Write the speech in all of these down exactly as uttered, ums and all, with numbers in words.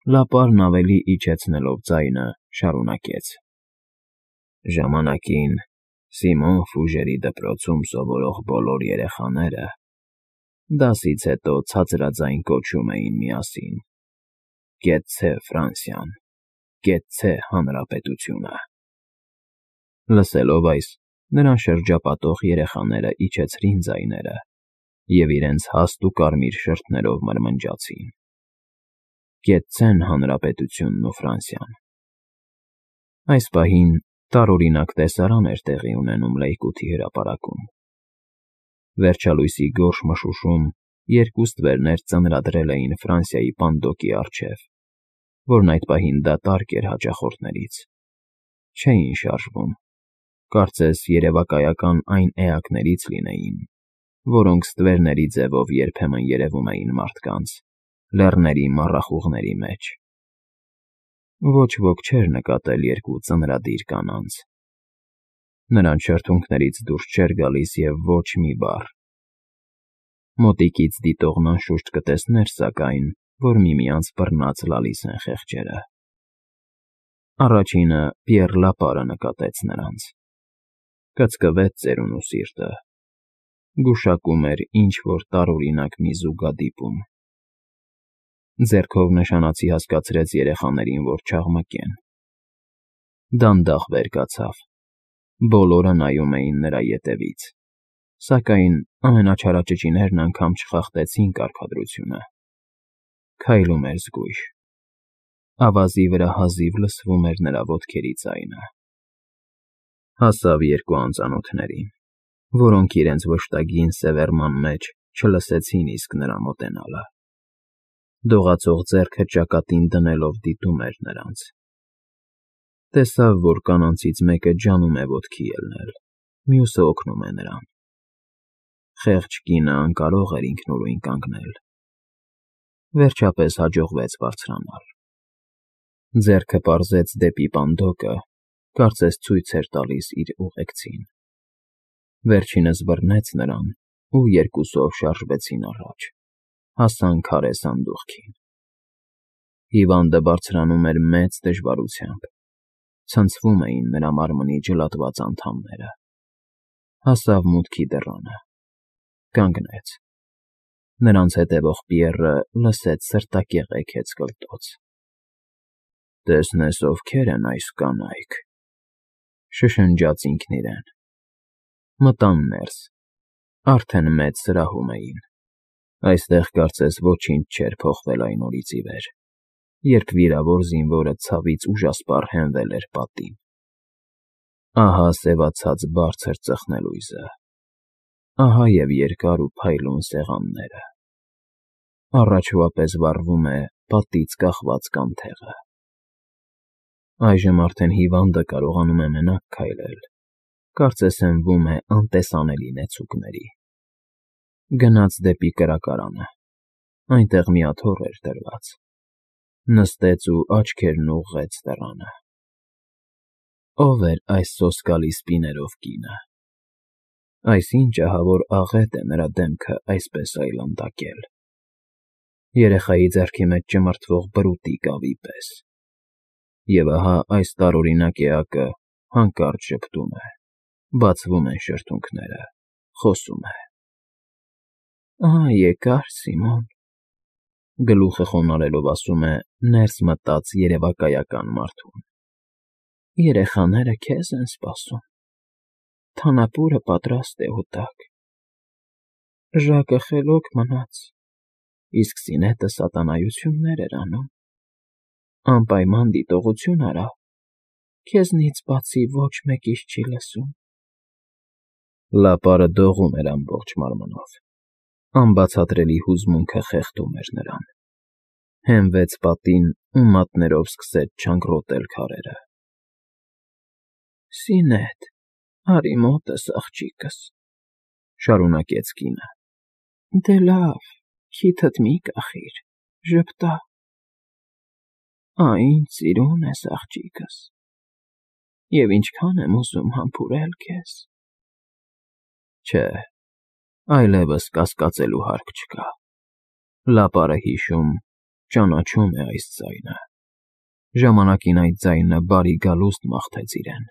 Լապարն ավելի իջեցնելով ձայնը, շարունակեց. Ժամանակին Սիմոն Ֆուժերի դպրոցում սովորող բոլոր երեխաները դասից հետո ցածրաձայն կոչում էին միասին. «Կեցցե Ֆրանսիան, կեցցե Հանրապետությունը»։ Լսելով այս, նրան շրջապատող երեխաները իջեցրին ձայները և իրենց հաստ ու կարմիր շրթներով մրմնջացին. «Կեցցեն Հանրապետությունն ու Ֆրանսիան»։ Այս պահին տարօրինակ տեսարան էր տեղի ունենում Լեյկոթի հրապարակում։ Վերջալույսի գորշ մշուշում երկու ստվերներ ծնրադրել էին Ֆրանսիայի պանդոկի առջև, որն այդ պահին դատարկ էր հաճախորդներից, չէին շարժվում, կարծես երևակայական այն էակներից լինեին, որոնք ստվերների ձևով երբեմն երևում էին մարդկանց, լեռների մառախուղների մեջ։ Ոչ ոք չէր նկատել երկու ծնրադիր կանանց։ Նրանց շրթունքներից դուրս չէր գալիս և ոչ մի բառ։ Մոտիկից դիտողն անշուշտ կտեսներ, սակայն, որ միմյանց բռնած լալիս են խեղճերը։ Առաջինը Պիեռ Լապարը նկատեց նրանց։ Կծկվեց ծերունու սիրտը։ Գուշակում էր ինչ֊որ տարօրինակ մի զուգադիպում։ Ձեռքով նշանացի հասկացրեց երեխաներին, որ չաղմկեն։ Դանդաղ վեր կացավ։ Բոլորը նայում էին նրա ետևից, սակայն ամենաչարաճճիներն անգամ չխախտեցին կարգադրությունը։ Քայլում էր զգույշ։ Ավազի վրա հազիվ լսվում էր նրա ոտքերի ձայնը։ Հասավ երկու անծանոթներին, որոնք իրենց վշտագին սևեռման մեջ չլսեցին իսկ նրա մոտենալը։ Դողացող ձեռքը ճակատին դնելով դիտում էր նրանց։ Տեսավ, որ կանանցից մեկը ջանում է ոտքի ելնել, մյուսը օգնում է նրան։ Խեղճ կինը անկարող էր ինքնուրույն կանգնել։ Վերջապես հաջողվեց բարձրանալ։ Ձեռքը պարզեց դեպի պանդոկը, կարծես ցույց էր տալիս իր ուղեկցին։ Վերջինս բռնեց նրան ու երկուսով շարժվեցին առաջ, հասան քարե սանդուղքին։ Հիվանդը բարձրանում էր մեծ դժվարությամբ, ցնցվում էին նրա մարմնի ջլատված անդամները։ Հասավ մուտքի դռանը։ Կանգնեց։ Նրանց հետևող Պիեռը լսեց սրտակեղ էգեց կլտոց։ «Տեսնես ովքեր են այս կանայք,֊ շշնջաց ինքն իրեն։ Մտան ներս։ Արդեն մեծ սրահում էին։ Այստեղ կարծես ոչինչ չէր փոխվել այն օրից ի վեր, երբ վիրավոր զինվորը ցավից ուժասպառ հենվել էր պատին։ Ահա սևացած բարձր ծխնելույզը, ահա և երկար ու փայլուն սեղանները։ Առաջվա պես վառվում է պատից կախված կանթեղը։ Այժմ արդեն հիվանդը կարողանում է մենակ քայլել, կարծես հենվում է անտեսանելի նեցուկների։ Գնաց դեպի կրակարանը, այնտեղ մի աթոռ էր դրված։ Նստեց ու աչքերն ուղղեց դռանը։ Ո՞վ էր այս սոսկալի սպիներով կինը։ Այսինչ ահավոր աղետ է նրա դեմքը այսպես այլանդակել։ Երեխայի ձեռքի մեջ ճմրթվող բրուտի կավի պես։ Եվ ահա այս տարօրինակ էակը հանկարծ ժպտում է, բացվում են շրթունքները, խոսում է. «Ահա եկար, Սիմոն», գլուխը խոնարհելով ասում է ներս մտած երևակայական մարդուն։ «Երեխաները քեզ են սպասում։ Թանապուրը պատրաստ է հոտակ։ Ժակը խելոք մնաց, իսկ սինետը սատանայություններ էր անում։ Անպայման դիտողություն արա, քեզնից բացի ոչ մեկիս չի լսում»։ Լապարը դողում էր ամբողջ մարմնով։ Անբացատրելի հուզմունքը խեղդում էր նրան։ Հենվեց պատին ու մատներով սկսեց չանգռոտել քարերը։ «Սինետ, արի մոտս, աղջիկս», շարունակեց կինը։ «Դե լավ, քիթդ մի կախիր, ժպտա։ Ա, ինձ սիրուն ես, աղջիկս, և ինչքան եմ ուզում համբուրել քեզ»։ Չէ, այլևս կասկածելու հարկ չկա։ Լապարը հիշում, Ճանաչում է այս ձայնը։ Ժամանակին այդ ձայնը բարի գալուստ մաղթեց իրեն։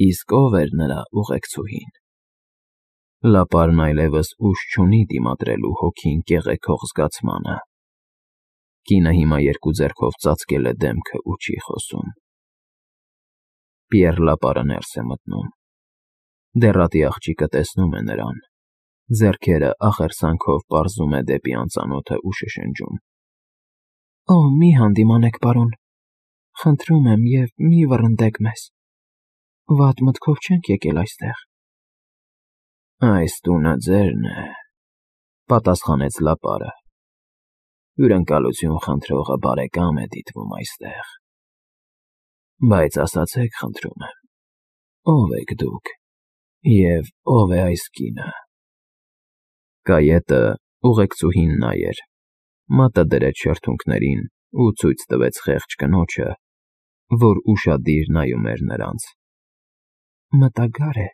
Իսկ ով էր նրա ուղեկցուհին։ Լապարն այլևս ուժ չունի դիմադրելու հոգին կեղեքող զգացմանը։ Կինը հիմա երկու ձեռքով ծածկել է դեմքը ու չի խոսում։ Պիեռ Լապարը ներս է մտնում։ Դեռատի աղջիկը տեսնում է նրան։ Ձեռքերը ախերսանքով պարզում է դեպի անծանոթը ու շշնջում. Օ, մի հանդիմանեք, պարոն, խնդրում եմ և մի վռնդեք մեզ, վատ մտքով չենք եկել այստեղ։ Այս տունը ձերն է, պատասխանեց Լապարը։ Հյուրընկալություն խնդրողը բարեկամ է դիտվում այստեղ։ Բայց ասացեք, խնդրում եմ, ով եք դուք և ով է այս կինը։ Կայետը ուղեկցուհին նա էր, մատը դրեց շրթունքներին ու ցույց տվեց խեղճ կնոջը, որ ուշադիր նայում էր նրանց։ Մտագար է,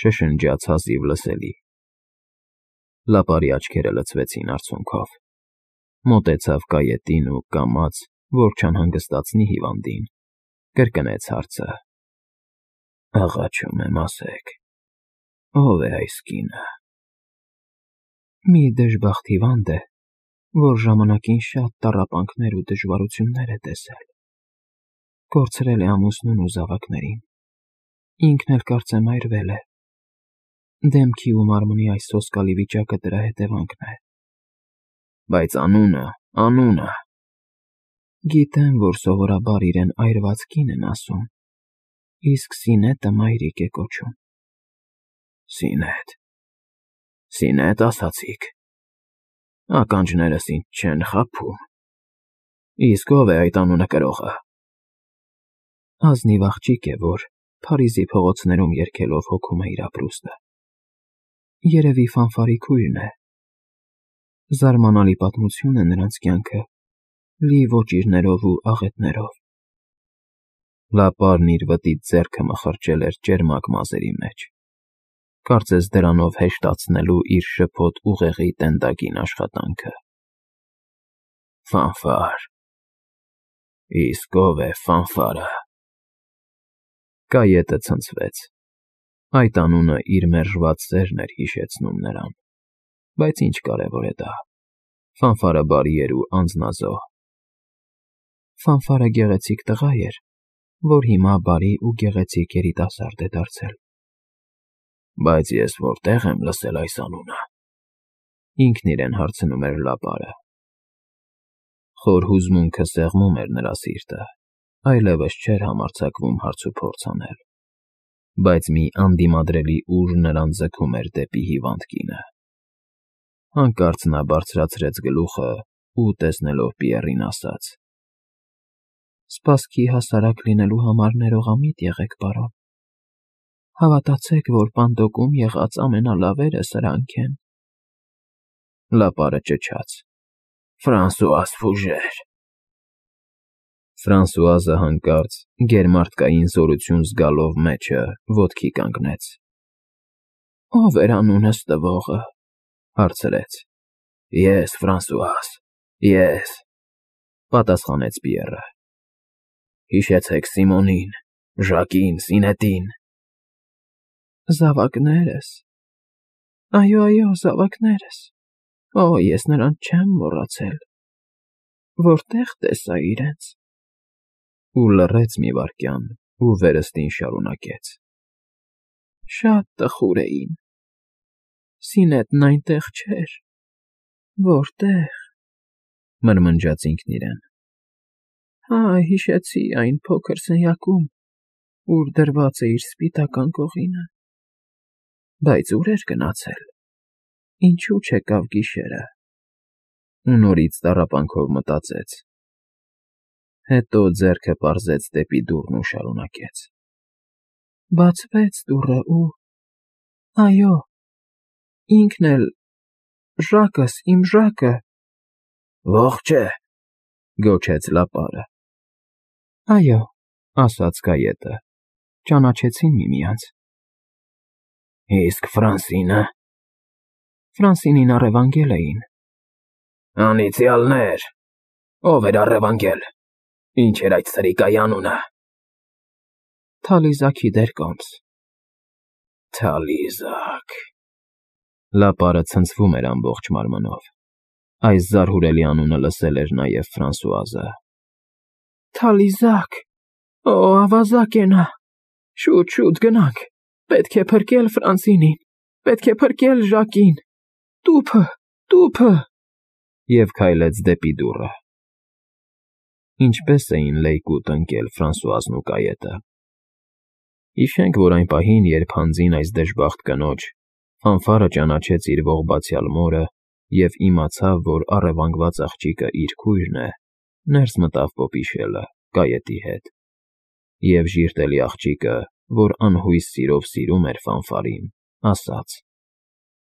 շշնջաց հազիվ լսելի։ Լապարի աչքերը լցվեցին արցունքով։ Մոտեցավ կայետին ու կամաց, որ չանհանգստացնի հիվանդին, կրկնեց հարցը. Աղաչում եմ, ասեք, ով է այս կինը։ Մի դժբախտ հիվանդ է, որ ժամանակին շատ տառապանքներ ու դժվարություններ է տեսել։ Կորցրել է ամուսնուն ու զավակներին։ Ինքն էլ կարծեմ այրվել է։ Դեմքի ու մարմնի այս սոսկալի վիճակը դրա հետևանքն է։ Բայց անունը, անունը… Գիտեմ, որ սովորաբար իրեն այրված կին են ասում, իսկ Սինետը մայրիկ է կոչում։ Սինետ… Սինետ ասացիք… Ականջներս ինձ չեն խաբում։ Իսկ ով է այդ անունը կրողը։ Ազնիվ աղջիկ է, որ Փարիզի փողոցներում երգելով հոգում է իր ապրուստը։ Երևի Ֆանֆարի քույրն է։ Զարմանալի պատմություն է նրանց կյանքը, լի ոճիրներով ու աղետներով։ Լապարն իր վտիտ ձեռքը մխրճել էր ճերմակ մազերի մեջ, կարծես դրանով հեշտացնելու իր շփոթ ուղեղի տենդագին աշխատանքը։ Ֆանֆար… Իսկ ով է Ֆանֆարը։ Կայետը ցնցվեց։ Այդ անունը իր մերժված սերն էր հիշեցնում նրան, բայց ինչ կարևոր է դա։ Ֆանֆարը բարի էր ու անձնազոհ։ Ֆանֆարը գեղեցիկ տղա էր, որ հիմա բարի ու գեղեցիկ երիտասարդ է դարձել։ Բայց ես որտեղ եմ լսել այս անունը։ Ինքն իրեն հարցնում էր Լապարը։ Խոր հուզմունքը սեղմում էր նրա սիրտը, այլևս չէր համարձակվում հարցուփորձ անել։ Բայց մի անդիմադրելի ուժ նրան ձգում էր դեպի հիվանդ կինը։ Հանկարծ նա բարձրացրեց գլուխը ու, տեսնելով Պիեռին, ասաց. Սպասքի հասարակ լինելու համար ներողամիտ եղեք, պարոն։ Հավատացեք, որ պանդոկում եղած ամենալավերը սրանք են։ Լապարը ճչաց. Ֆրանսուազ Ֆուժեր։ Ֆրանսուազը հանկարծ գերմարդկային զորություն զգալով մեջը ոտքի կանգնեց։ Ով էր անունս տվողը։ Հարցրեց։ Ես, Ֆրանսուազ, ես, պատասխանեց Պիեռը։ Հիշեցեք Սիմոնին, Ժակին, Սինետին։ Զավակներս։ Այո, այո, զավակներս։ Օ, ես նրան չեմ մոռացել։ Որտեղ տեսա իրենց։ Ու լռեց մի վայրկյան ու վերստին շարունակեց. Շատ տխուր էին։ Սինետն այնտեղ չէր։ Որտեղ, մրմնջաց ինքն իրեն։ Հա, հիշեցի այն փոքր սենյակում, ուր դրված է իր սպիտական կողինը։ Բայց ուր էր գնացել։ Ինչու չեկավ գիշերը։ Ու նորից տառապանքով մտածեց։ Հետո ձեռքը պարզեց դեպի դուռն ու շարունակեց. Բացվեց դուռը ու… Այո, ինքն էլ… Ժակս, իմ Ժակը… Ողջ է, գոչեց Լապարը։ Այո, ասաց Կայետը, ճանաչեցին միմյանց։ Իսկ Ֆրանսինը… Ֆրանսինին առևանգել էին։ Անիծյալներ, ով էր առևանգել, ինչ էր այդ սրիկայի անունը։ Թալիզաքի դեր կոմս։ Թալիզակ… Լապարը ցնցվում էր ամբողջ մարմնով։ Այս զարհուրելի անունը լսել էր նաև Ֆրանսուազը։ Թալիզակ… Օ, ավազակ է նա… Շուտ, շուտ գնանք… Պետք է փրկել Ֆրանսինին… Պետք է փրկել Ժակին… Տուփը… Տուփը… Եվ քայլեց դեպի դուռը։ Ինչպե՜ս էին լեյկուտ ընկել Ֆրանսուազն ու կայետը… Հիշենք, որ այն պահին, երբ հանձին այս դժբախտ կնոջ, Ֆանֆարը ճանաչեց իր ողբացյալ մորը և իմացավ, որ առևանգված աղջիկը իր քույրն է, ներս մտավ պոպիշելը՝ կայետի հետ, և ժիրտելի աղջիկը, որ անհույս սիրով սիրում էր Ֆանֆարին, ասաց.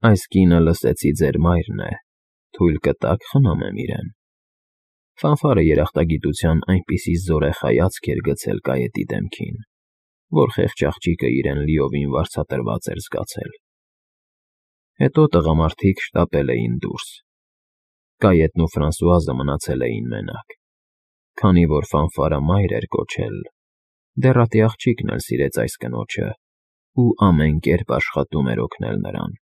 «Այս կինը, լսեցի, ձեր մայրն է, թույլ կտա՞ք խնամեմ իրեն»։ Ֆանֆարը երախտագիտության այնպիսի զորեղ հայացք էր գցել կայետի դեմքին, որ խեղճ աղջիկը իրեն լիովին վարձատրված էր զգացել։ Հետո տղամարդիկ շտապել էին դուրս։ Կայետն ու Ֆրանսուազը մնացել էին մենակ, քանի որ Ֆանֆարը մայր էր կոչել, դեռատի աղջիկն էլ սիրեց այս կնոջը ու ամեն կերպ աշխատում էր օգնել նրան։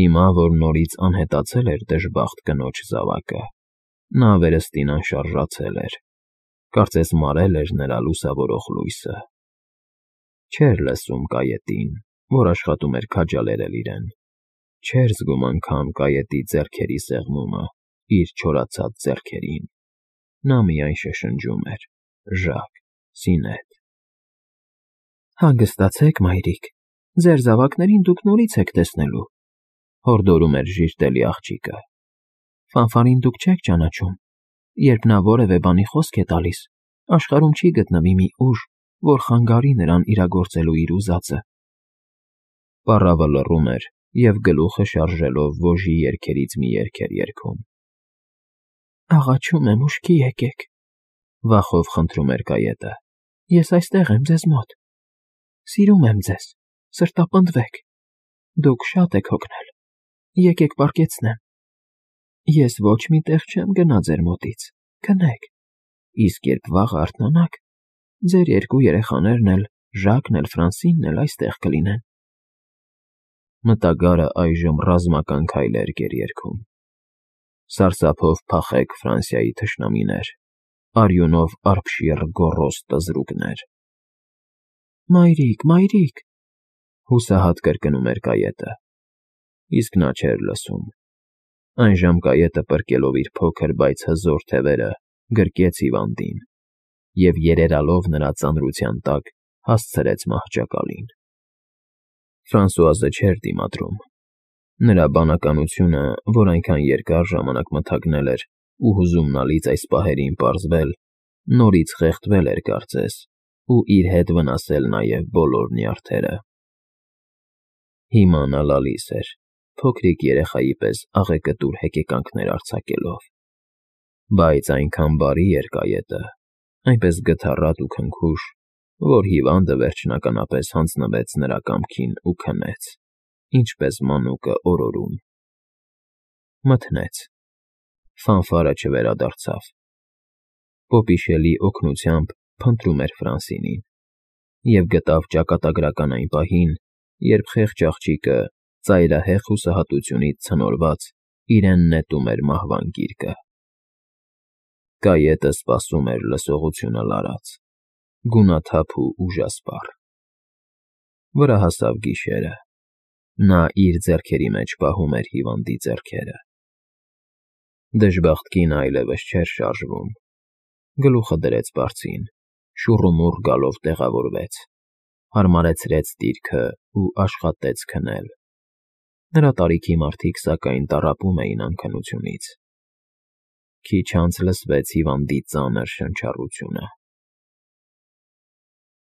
Հիմա, որ նորից անհետացել էր դժբախտ կնոջ զավակը, նա վերստին անշարժացել էր, կարծես մարել էր նրա լուսավորող լույսը։ Չէր լսում կայետին, որ աշխատում էր քաջալերել իրեն, չէր զգում անգամ կայետի ձեռքերի սեղմումը իր չորացած ձեռքերին։ Նա միայն շշնջում էր. «Ժակ, Սինեթ»։ Հանգստացեք, մայրիկ, ձեր զավակներին դուք նորից եք տեսնելու, հորդորում էր ժիրտելի աղջիկը։ Ֆանֆարին դուք չեք ճանաչում, երբ նա որևէ բանի խոսք է տալիս, աշխարհում չի գտնվի մի ուժ, որ խանգարի նրան իրագործելու իր ուզածը։ Պառավը լռում էր և գլուխը շարժելով ոժի երգերից մի երգ էր երգում։ Աղաչում եմ, ուշքի եկեք, վախով խնդրում էր կայետը։ Ես այստեղ եմ ձեզ մոտ։ Սիրում եմ ձեզ, սրտապնդվեք։ Դուք շատ եք հոգնել։ Եկեք պառկեցնեմ։ Ես ոչ մի տեղ չեմ գնա ձեր մոտից, քնեք, իսկ երբ վաղը արթնանաք, ձեր երկու երեխաներն էլ, Ժակն էլ Ֆրանսինն էլ այստեղ կլինեն։ Մտագարը այժմ ռազմական քայլեր էր երգում. Սարսափով փախեք Ֆրանսիայի թշնամիներ, արյունով արբշիռ գոռոզ տզրուկներ։ Մայրիկ, մայրիկ, հուսահատ կրկնում էր կայետը, իսկ նա չէր լսում։ Այժմ կայետը պրկելով իր փոքր, բայց հզոր թևերը, գրկեց հիվանդին և երերալով նրա ծանրության տակ հասցրեց մահճակալին։ Ֆրանսուազը չէր դիմադրում։ Նրա բանականությունը, որ այնքան երկար ժամանակ մթագնել էր ու հուզումնալից այս պահերին պարզվել, նորից խեղդվել էր կարծես ու իր հետ վնասել նաև բոլոր նյարդերը։ Հիմա նա լալիս էր, փոքրիկ երեխայի պես աղեկտուր հեկեկանքներ արձակելով։ Բայց այնքան բարի էր կայետը, այնպես գթառատ ու քնքուշ, որ հիվանդը վերջնականապես հանձնվեց նրա կամքին ու քնեց, ինչպես մանուկը օրորում։ Մթնեց։ Ֆանֆարը չվերադարձավ։ Պոպիշելի օգնությամբ փնտրում էր Ֆրանսինին և գտավ ճակատագրական այն պահին, երբ խեղճ աղջիկը, ծայրահեղ հուսահատությունից ցնորված, իրեն նետում էր մահվան գիրկը։ Կայետը սպասում էր լսողությունը լարած, գունաթափ ու ուժասպառ։ Վրա հասավ գիշերը։ Նա իր ձեռքերի մեջ պահում էր հիվանդի ձեռքերը։ Դժբախտ կինը այլևս չէր շարժվում։ Գլուխը դրեց բարձին, շուռումուռ գալով տեղավորվեց, հարմարեցրեց դիրքը ու աշխատեց քնել։ Նրա տարիքի մարդիկ, սակայն, տառապում էին անքնությունից։ Քիչ անց լսվեց հիվանդի ծանր շնչառությունը։